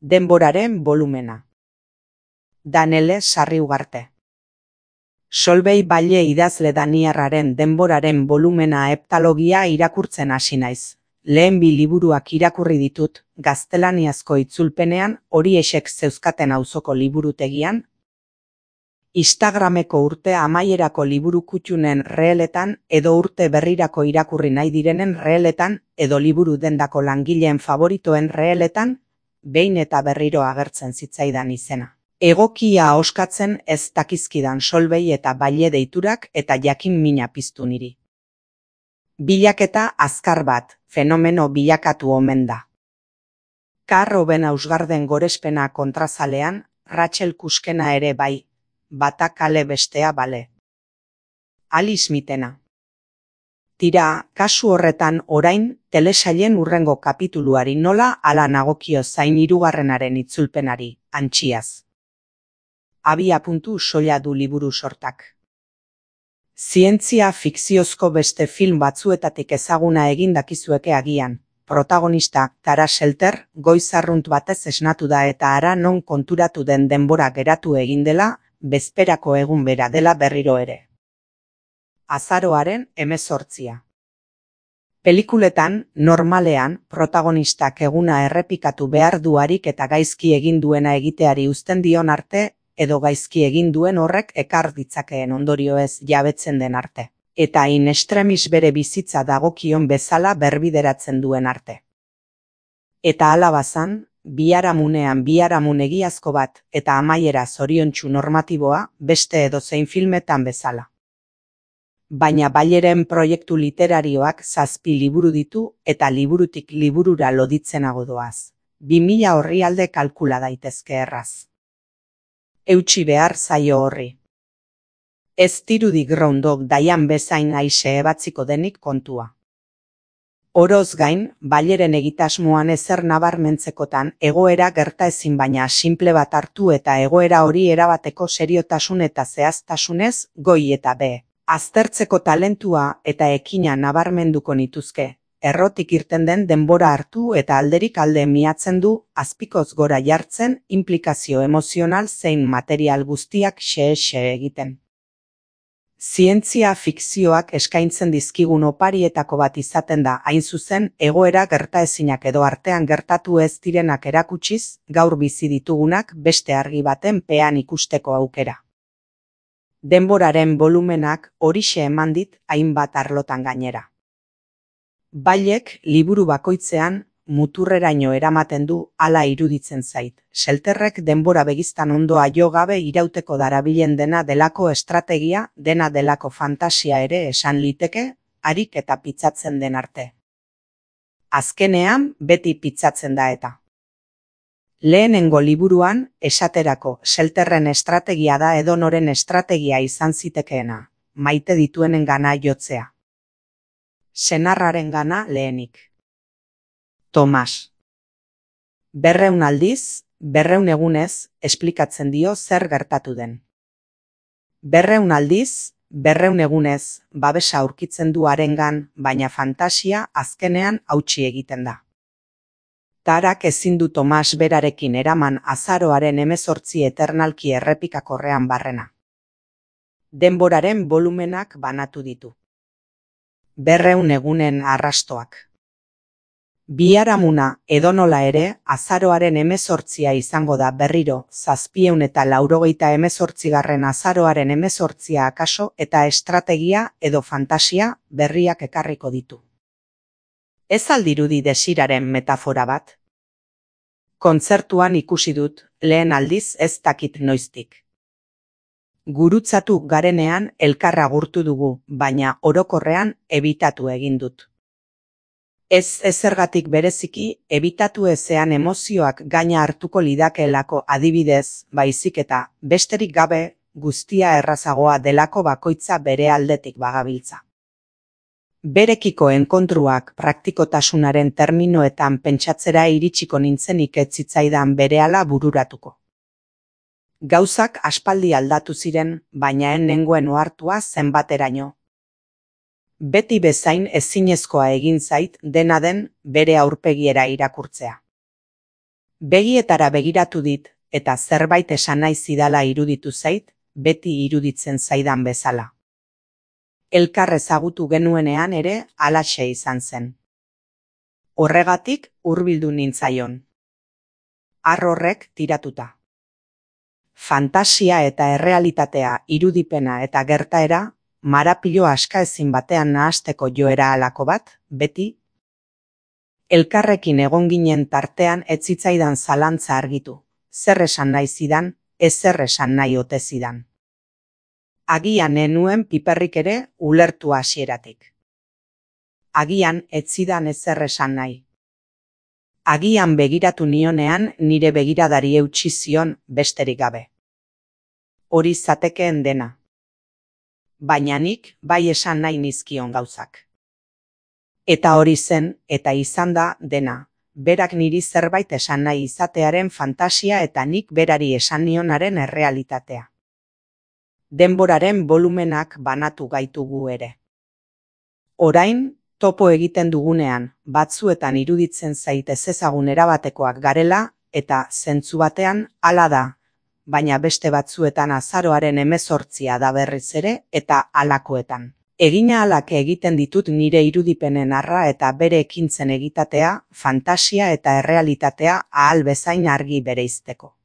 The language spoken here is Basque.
Denboraren bolumena. Danele Sarriugarte. Solvei Balle idazle daniarraren Denboraren bolumena heptalogia irakurtzen hasi naiz. Lehen 2 liburuak irakurri ditut, gaztelaniazko itzulpenean, horiexek zeuzkaten auzoko liburutegian. Instagrameko urte amaierako liburu kutxunen reeletan edo urte berrirako irakurri nahi direnen reeletan edo liburu dendako langileen favoritoen reeletan, behin eta berriro agertzen zitzaidan izena. Egokia ahoskatzen ez dakizkidan Solvei eta Balle deiturak eta jakin mina piztu niri. Bilaketa azkar bat, fenomeno bilakatu omen da. Karroben Ausgarden gorespena kontrazalean, Rachel Kuskena ere bai, bata kale bestea bale. Alice Mitena. Tira, kasu horretan orain, telesailen hurrengo kapituluari nola ala nagokio zain 3. itzulpenari, antxiaz. Abiapuntu soila du liburu sortak. Zientzia fikziozko beste film batzuetatik ezaguna egin dakizueke agian. Protagonista, Tara Shelter, goiz arrunt batez esnatu da eta ara non konturatu den denbora geratu egin dela, bezperako egun bera dela berriro ere. Azaroaren 18. Pelikuletan, normalean, protagonistak eguna errepikatu behar duarik eta gaizki egin duena egiteari uzten dion arte, edo gaizki egin duen horrek ekar ditzakeen ondorioez jabetzen den arte. Eta in extremis bere bizitza dagokion bezala berbideratzen duen arte. Eta hala bazan, biharamun egiazko bat eta amaiera zoriontsu normatiboa beste edozein filmetan bezala. Baina Balleren proiektu literarioak 7 liburu ditu eta liburutik liburura loditzenago doaz. 2000 orrialde kalkula daitezke erraz. Eutsi behar zaio horri. Ez dirudi Groundhog Daian bezain aixe ebatziko denik kontua. Oroz gain, Balleren egitasmoan ezer nabarmentzekotan egoera gertaezin baina simple bat hartu eta egoera hori erabateko seriotasun eta zehaztasunez goi eta be. Aztertzeko talentua eta ekina nabarmenduko nituzke. Errotik irten den denbora hartu eta alderik alde miatzen du, azpikoz gora jartzen, implikazio emozional zein material guztiak xe egiten. Zientzia fikzioak eskaintzen dizkigun oparietako bat izaten da hain zuzen egoera gertaezinak edo artean gertatu ez direnak erakutsiz, gaur bizi ditugunak beste argi baten pean ikusteko aukera. Denboraren bolumenak horixe eman dit hainbat arlotan gainera. Ballek liburu bakoitzean muturreraino eramaten du hala iruditzen zait. Shelterrek denbora begiztan ondoa jo gabe irauteko darabilen dena delako estrategia, dena delako fantasia ere esan liteke, harik eta pitzatzen den arte. Azkenean beti pitzatzen da eta. Lehenengo liburuan, esaterako, Shelterren estrategia da edonoren estrategia izan zitekeena, maite dituenengana jotzea. Senarrarengana lehenik. Tomas. 200 aldiz, 200 egunez, esplikatzen dio zer gertatu den. 200 aldiz, 200 egunez, babesa aurkitzen du harengan, baina fantasia azkenean hautsi egiten da. Tarak ezin du Tomas berarekin eraman azaroaren 18 eternalki errepikakorrean barrena. Denboraren bolumenak banatu ditu. 200 egunen arrastoak. Biharamuna edonola ere azaroaren 18 izango da berriro 788. Azaroaren 18 akaso eta estrategia edo fantasia berriak ekarriko ditu. Ez aldirudi desiraren metafora bat? Kontzertuan ikusi dut, lehen aldiz ez dakit noiztik. Gurutzatu garenean elkarra agurtu dugu, baina orokorrean ebitatu egin dut. Ez ezergatik bereziki, ebitatu ezean emozioak gaina hartuko lidakeelako adibidez, baizik eta besterik gabe guztia errazagoa delako bakoitza bere aldetik bagabiltza. Berekiko enkontruak praktikotasunaren terminoetan pentsatzera iritsiko nintzenik ez zitzaidan berehala bururatuko. Gauzak aspaldi aldatu ziren, baina nengoen ohartua zenbateraino. Beti bezain ezinezkoa egin zait dena den bere aurpegiera irakurtzea. Begietara begiratu dit, eta zerbait esan nahi zidala iruditu zait, beti iruditzen zaidan bezala. Elkar ezagutu genuenean ere halaxe izan zen. Horregatik hurbildu nintzaion. Har horrek tiratuta. Fantasia eta errealitatea, irudipena eta gertaera, marapilo askaezin batean nahasteko joera halako bat, beti. Elkarrekin egon ginen tartean ez zitzaidan zalantza argitu, zer esan nahi zidan, ezer esan nahi ote zidan. Agian enuen piperrik ere ulertu hasieratik. Agian ez zidan ezer esan nahi. Agian begiratu nionean nire begiradari eutsi zion besterik gabe. Hori zatekeen dena. Baina nik bai esan nahi nizkion gauzak. Eta hori zen, eta izan da dena, berak niri zerbait esan nahi izatearen fantasia eta nik berari esan nionaren errealitatea. Denboraren volumenak banatu gaitugu ere. Orain, topo egiten dugunean, batzuetan iruditzen zait ezezagun erabatekoak garela, eta zentzu batean hala da, baina beste batzuetan azaroaren 18 da berriz ere eta halakoetan. Egina halak egiten ditut nire irudipenen arra eta bere ekintzen egitatea, fantasia eta errealitatea ahal bezain argi bereizteko.